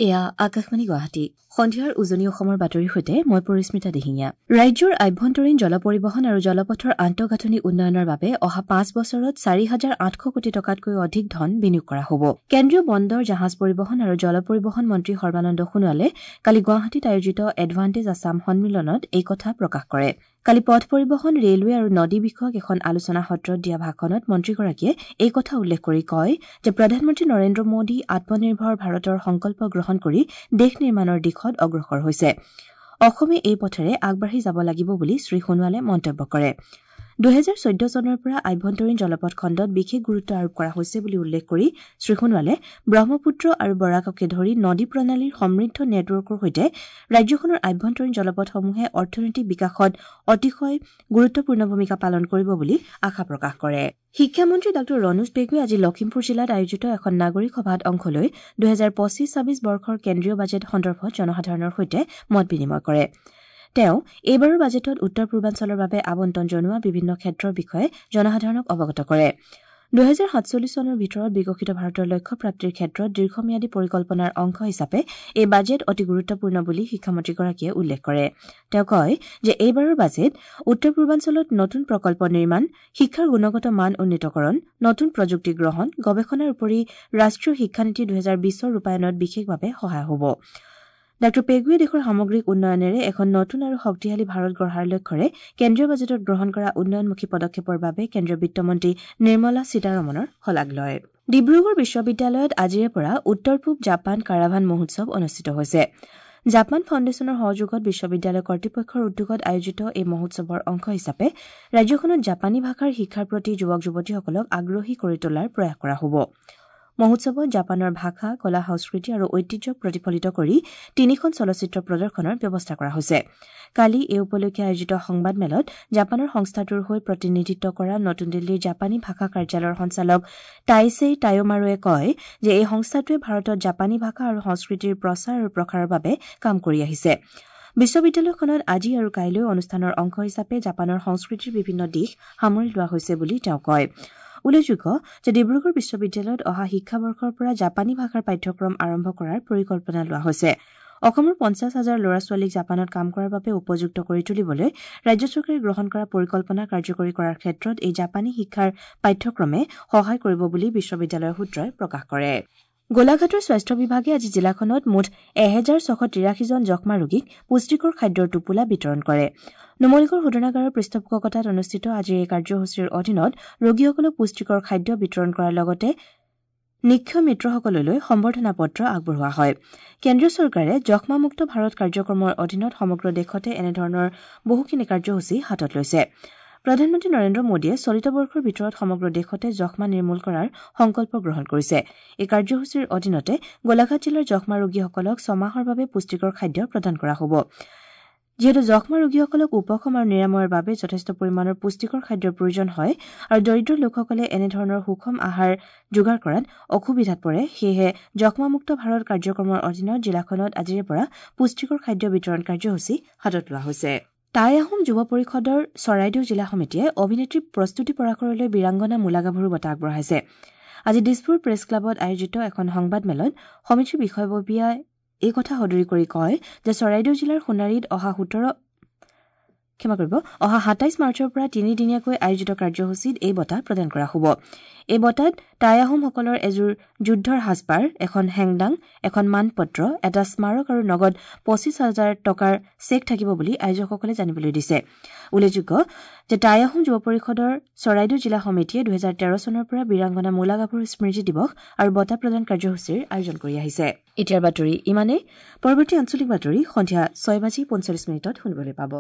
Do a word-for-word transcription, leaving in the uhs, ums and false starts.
এয়া আকাশবাণী গুৱাহাটী। সন্ধিয়াৰ উজনি অসমৰ বাতৰিৰ সৈতে মই পৰিস্মিতা দিহিঙীয়া। ৰাজ্যৰ আভ্যন্তৰীণ জল পৰিবহণ আৰু জলপথৰ আন্তঃগাঁথনি উন্নয়নৰ বাবে অহা পাঁচ বছৰত চাৰি হাজাৰ আঠশ কোটি টকাতকৈ অধিক ধন বিনিয়োগ কৰা হ'ব। কেন্দ্ৰীয় বন্দৰ, জাহাজ পৰিবহণ আৰু জল পৰিবহণ মন্ত্ৰী সৰ্বানন্দ সোণোৱালে কালি গুৱাহাটীত আয়োজিত এডভান্টেজ আছাম সন্মিলনত এই কথা প্ৰকাশ কৰে। কালি পথ পৰিবহণ, ৰেলৱে আৰু নদী বিষয়ক এখন আলোচনা সত্ৰত দিয়া ভাষণত মন্ত্ৰীগৰাকীয়ে এই কথা উল্লেখ কৰি কয় যে প্ৰধানমন্ত্ৰী নৰেন্দ্ৰ মোদী আত্মনিৰ্ভৰ ভাৰতৰ সংকল্প গ্ৰহণ কৰি দেশ নিৰ্মাণৰ দিশত অগ্ৰসৰ হৈছে। অসমে এই পথেৰে আগবাঢ়ি যাব লাগিব বুলি শ্ৰীসোণোৱালে মন্তব্য কৰে। দুহেজাৰ চৈধ্য চনৰ পৰা আভ্যন্তৰীণ জলপথ খণ্ডত বিশেষ গুৰুত্ব আৰোপ কৰা হৈছে বুলি উল্লেখ কৰি শ্ৰীসোণোৱালে ব্ৰহ্মপুত্ৰ আৰু বৰাককে ধৰি নদী প্ৰণালীৰ সমৃদ্ধ নেটৱৰ্কৰ সৈতে ৰাজ্যখনৰ আভ্যন্তৰীণ জলপথসমূহে অৰ্থনৈতিক বিকাশত অতিশয় গুৰুত্বপূৰ্ণ ভূমিকা পালন কৰিব বুলি আশা প্ৰকাশ কৰে। শিক্ষামন্ত্ৰী ডাঃ ৰণোজ পেগুৱে আজি লখিমপুৰ জিলাত আয়োজিত এখন নাগৰিক সভাত অংশ লৈ দুহেজাৰ পঁচিছ ছাব্বিছ বৰ্ষৰ কেন্দ্ৰীয় বাজেট সন্দৰ্ভত জনসাধাৰণৰ সৈতে মত বিনিময় কৰে। তেওঁ এইবাৰৰ বাজেটত উত্তৰ পূৰ্বাঞ্চলৰ বাবে আবণ্টন জনোৱা বিভিন্ন ক্ষেত্ৰৰ বিষয়ে জনসাধাৰণক অৱগত কৰে। দুহেজাৰ সাতচল্লিছ চনৰ ভিতৰত বিকশিত ভাৰতৰ লক্ষ্য প্ৰাপ্তিৰ ক্ষেত্ৰত দীৰ্ঘম্যাদী পৰিকল্পনাৰ অংশ হিচাপে এই বাজেট অতি গুৰুত্বপূৰ্ণ বুলি শিক্ষামন্ত্ৰীগৰাকীয়ে উল্লেখ কৰে। তেওঁ কয় যে এইবাৰৰ বাজেট উত্তৰ পূৰ্বাঞ্চলত নতুন প্ৰকল্প নিৰ্মাণ, শিক্ষাৰ গুণগত মান উন্নীতকৰণ, নতুন প্ৰযুক্তি গ্ৰহণ, গৱেষণাৰ উপৰি ৰাষ্ট্ৰীয় শিক্ষানীতি দুহেজাৰ বিছৰ ৰূপায়ণত বিশেষভাৱে সহায় হ'ব। ডাঃ পেগুৱে দেশৰ সামগ্ৰিক উন্নয়নেৰে এখন নতুন আৰু শক্তিশালী ভাৰত গঢ়াৰ লক্ষ্যৰে কেন্দ্ৰীয় বাজেটত গ্ৰহণ কৰা উন্নয়নমুখী পদক্ষেপৰ বাবে কেন্দ্ৰীয় বিত্তমন্ত্ৰী নিৰ্মলা সীতাৰমণৰ শলাগ লয়। ডিব্ৰুগড় বিশ্ববিদ্যালয়ত আজিৰে পৰা উত্তৰ পূব জাপান কাৰাভান মহোৎসৱ অনুষ্ঠিত হৈছে। জাপান ফাউণ্ডেশ্যনৰ সহযোগত বিশ্ববিদ্যালয় কৰ্তৃপক্ষৰ উদ্যোগত আয়োজিত এই মহোৎসৱৰ অংশ হিচাপে ৰাজ্যখনত জাপানী ভাষাৰ শিক্ষাৰ প্ৰতি যুৱক যুৱতীসকলক আগ্ৰহী কৰি তোলাৰ প্ৰয়াস কৰা হ'ব। মহোৎসৱত জাপানৰ ভাষা, কলা, সংস্কৃতি আৰু ঐতিহ্যক প্ৰতিফলিত কৰি তিনিখন চলচ্চিত্ৰ প্ৰদৰ্শনৰ ব্যৱস্থা কৰা হৈছে। কালি এই উপলক্ষে আয়োজিত সংবাদমেলত জাপানৰ সংস্থাটোৰ হৈ প্ৰতিনিধিত্ব কৰা নতুন দিল্লীৰ জাপানী ভাষা কাৰ্যালয়ৰ সঞ্চালক টাইছেই টায়োমাৰুৱে কয় যে এই সংস্থাটোৱে ভাৰতত জাপানী ভাষা আৰু সংস্কৃতিৰ প্ৰচাৰ আৰু প্ৰসাৰৰ বাবে কাম কৰি আহিছে। বিশ্ববিদ্যালয়খনত আজি আৰু কাইলৈ অনুষ্ঠানৰ অংশ হিচাপে জাপানৰ সংস্কৃতিৰ বিভিন্ন দিশ সামৰি লোৱা হৈছে বুলি তেওঁ কয়। উল্লেখযোগ্য যে ডিব্ৰুগড় বিশ্ববিদ্যালয়ত অহা শিক্ষাবৰ্ষৰ পৰা জাপানী ভাষাৰ পাঠ্যক্ৰম আৰম্ভ কৰাৰ পৰিকল্পনা লোৱা হৈছে। অসমৰ পঞ্চাছ হাজাৰ ল'ৰা ছোৱালীক জাপানত কাম কৰাৰ বাবে উপযুক্ত কৰি তুলিবলৈ ৰাজ্য চৰকাৰে গ্ৰহণ কৰা পৰিকল্পনা কাৰ্যকৰী কৰাৰ ক্ষেত্ৰত এই জাপানী শিক্ষাৰ পাঠ্যক্ৰমে সহায় কৰিব বুলি বিশ্ববিদ্যালয়ৰ সূত্ৰই প্ৰকাশ কৰে। গোলাঘাটৰ স্বাস্থ্য বিভাগে আজি জিলাখনত মুঠ এহেজাৰ ছশ তিৰাশীজন যক্ষ্মা ৰোগীক পুষ্টিকৰ খাদ্যৰ টোপোলা বিতৰণ কৰে। নুমলীগড় শোধনাগাৰৰ পৃষ্ঠপোষকতাত অনুষ্ঠিত আজিৰ এই কাৰ্যসূচীৰ অধীনত ৰোগীসকলক পুষ্টিকৰ খাদ্য বিতৰণ কৰাৰ লগতে নিক্ষয় মিত্ৰসকললৈ সম্বৰ্ধনা পত্ৰ আগবঢ়োৱা হয়। কেন্দ্ৰীয় চৰকাৰে যক্ষ্মামুক্ত ভাৰত কাৰ্যক্ৰমৰ অধীনত সমগ্ৰ দেশতে এনেধৰণৰ বহুখিনি কাৰ্যসূচী হাতত লৈছে। প্ৰধানমন্ত্ৰী নৰেন্দ্ৰ মোদীয়ে চলিত বৰ্ষৰ ভিতৰত সমগ্ৰ দেশতে যক্ষ্মা নিৰ্মূল কৰাৰ সংকল্প গ্ৰহণ কৰিছে। এই কাৰ্যসূচীৰ অধীনতে গোলাঘাট জিলাৰ যক্ষ্মা ৰোগীসকলক ছমাহৰ বাবে পুষ্টিকৰ খাদ্য প্ৰদান কৰা হ'ব। যিহেতু যক্ষ্মা ৰোগীসকলক উপশম আৰু নিৰাময়ৰ বাবে যথেষ্ট পৰিমাণৰ পুষ্টিকৰ খাদ্যৰ প্ৰয়োজন হয় আৰু দৰিদ্ৰ লোকসকলে এনেধৰণৰ সুষম আহাৰ যোগাৰ কৰাত অসুবিধাত পৰে, সেয়েহে যক্ষ্মামুক্ত ভাৰত কাৰ্যক্ৰমৰ অধীনত জিলাখনত আজিৰে পৰা পুষ্টিকৰ খাদ্য বিতৰণ কাৰ্যসূচী হাতত লোৱা হৈছে। টাই আহোম যুৱ পৰিষদৰ চৰাইদেউ জিলা সমিতিয়ে অভিনেত্ৰী প্ৰস্তুতি পৰাশৰলৈ বীৰাংগনা মূলাগাভৰু বঁটা আগবঢ়াইছে। আজি দিছপুৰ প্ৰেছ ক্লাবত আয়োজিত এখন সংবাদমেলত সমিতিৰ বিষয়ববীয়াই এই কথা সদৰি কৰি কয় যে চৰাইদেউ জিলাৰ সোণাৰীত অহা সোতৰ ক্ষমা কৰিব অহা সাতাইছ মাৰ্চৰ পৰা তিনিদিনীয়াকৈ আয়োজিত কাৰ্যসূচীত এই বঁটা প্ৰদান কৰা হ'ব। এই বঁটাত টাই আহোমসকলৰ এযোৰ যুদ্ধৰ সাজপাৰ, এখন হেংদাং, এখন মানপত্ৰ, এটা স্মাৰক আৰু নগদ পঁচিছ হাজাৰ টকাৰ চেক থাকিব বুলি আয়োজকসকলে জানিবলৈ দিছে। উল্লেখযোগ্য যে টাই আহোম যুৱ পৰিষদৰ চৰাইদেউ জিলা সমিতিয়ে দুহেজাৰ তেৰ চনৰ পৰা বীৰাংগনা মূলাগাভৰু স্মৃতি দিৱস আৰু বঁটা প্ৰদান কাৰ্যসূচীৰ আয়োজন কৰি আহিছে। এতিয়াৰ বাতৰি ইমানেই। পৰৱৰ্তী আঞ্চলিক বাতৰি সন্ধিয়া ছয় বাজি পঞ্চল্লিছ মিনিটত শুনিবলৈ পাব।